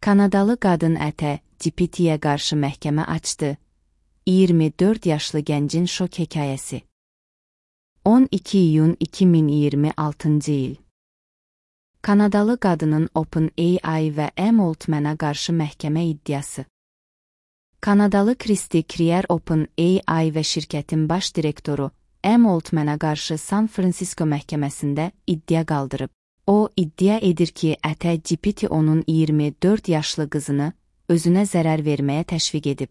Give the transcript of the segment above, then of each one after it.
Kanadalı qadın ətə GPT-yə qarşı məhkəmə açdı. 24 yaşlı gəncin şok hekayəsi. 12 iyun 2026-cı il. Kanadalı qadının OpenAI və M. Altmana qarşı məhkəmə iddiası. Kanadalı Kristi Krier OpenAI və şirkətin baş direktoru M. Altmana qarşı San Francisco məhkəməsində iddia qaldırıb. O, iddia edir ki, ətə GPT onun 24 yaşlı qızını özünə zərər verməyə təşviq edib.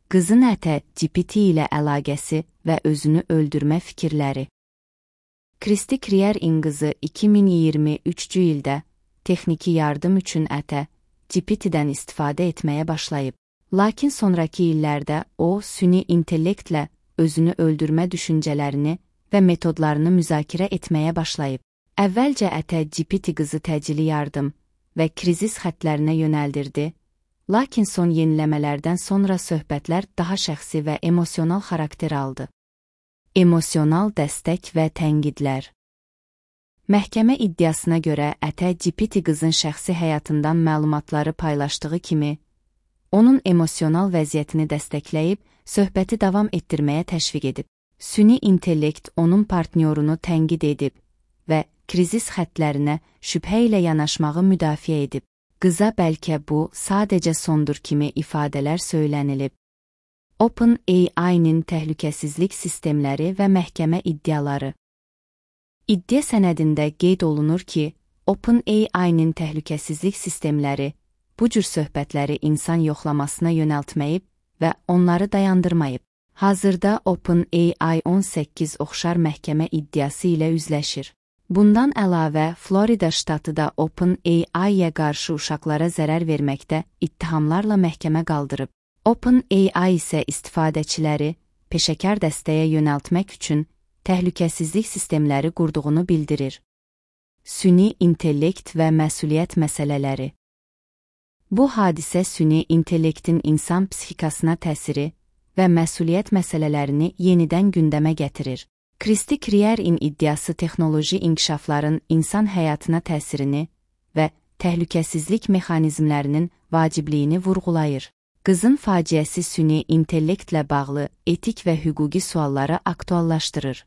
Qızın ətə GPT ilə əlaqəsi və özünü öldürmə fikirləri. Kristi Krierin qızı 2023-cü ildə texniki yardım üçün ətə GPT-dən istifadə etməyə başlayıb. Lakin sonrakı illərdə o, süni intellektlə özünü öldürmə düşüncələrini və metodlarını müzakirə etməyə başlayıb. Əvvəlcə ətə GPT qızı təcili yardım və krizis xətlərinə yönəldirdi, lakin son yeniləmələrdən sonra söhbətlər daha şəxsi və emosional xarakter aldı. Emosional dəstək və tənqidlər. Məhkəmə iddiasına görə ətə GPT qızın şəxsi həyatından məlumatları paylaşdığı kimi, onun emosional vəziyyətini dəstəkləyib, söhbəti davam etdirməyə təşviq edib. Süni intellekt onun partnyorunu tənqid edib və krizis xətlərinə şübhə ilə yanaşmağı müdafiə edib. Qıza bəlkə bu sadəcə sondur kimi ifadələr söylənilib. OpenAI-nin təhlükəsizlik sistemləri və məhkəmə iddiaları. İddia sənədində qeyd olunur ki, OpenAI-nin təhlükəsizlik sistemləri bu cür söhbətləri insan yoxlamasına yönəltməyib və onları dayandırmayıb. Hazırda OpenAI 18 oxşar məhkəmə iddiası ilə üzləşir. Bundan əlavə, Florida ştatı da OpenAI-yə qarşı uşaqlara zərər verməkdə ittihamlarla məhkəmə qaldırıb. OpenAI isə istifadəçiləri peşəkar dəstəyə yönəltmək üçün təhlükəsizlik sistemləri qurduğunu bildirir. Süni intellekt və məsuliyyət məsələləri. Bu hadisə süni intellektin insan psixikasına təsiri və məsuliyyət məsələlərini yenidən gündəmə gətirir. Kristi Krierin iddiası texnoloji inkişafların insan həyatına təsirini və təhlükəsizlik mexanizmlərinin vacibliyini vurğulayır. Qızın faciəsi süni intellektlə bağlı etik və hüquqi sualları aktuallaşdırır.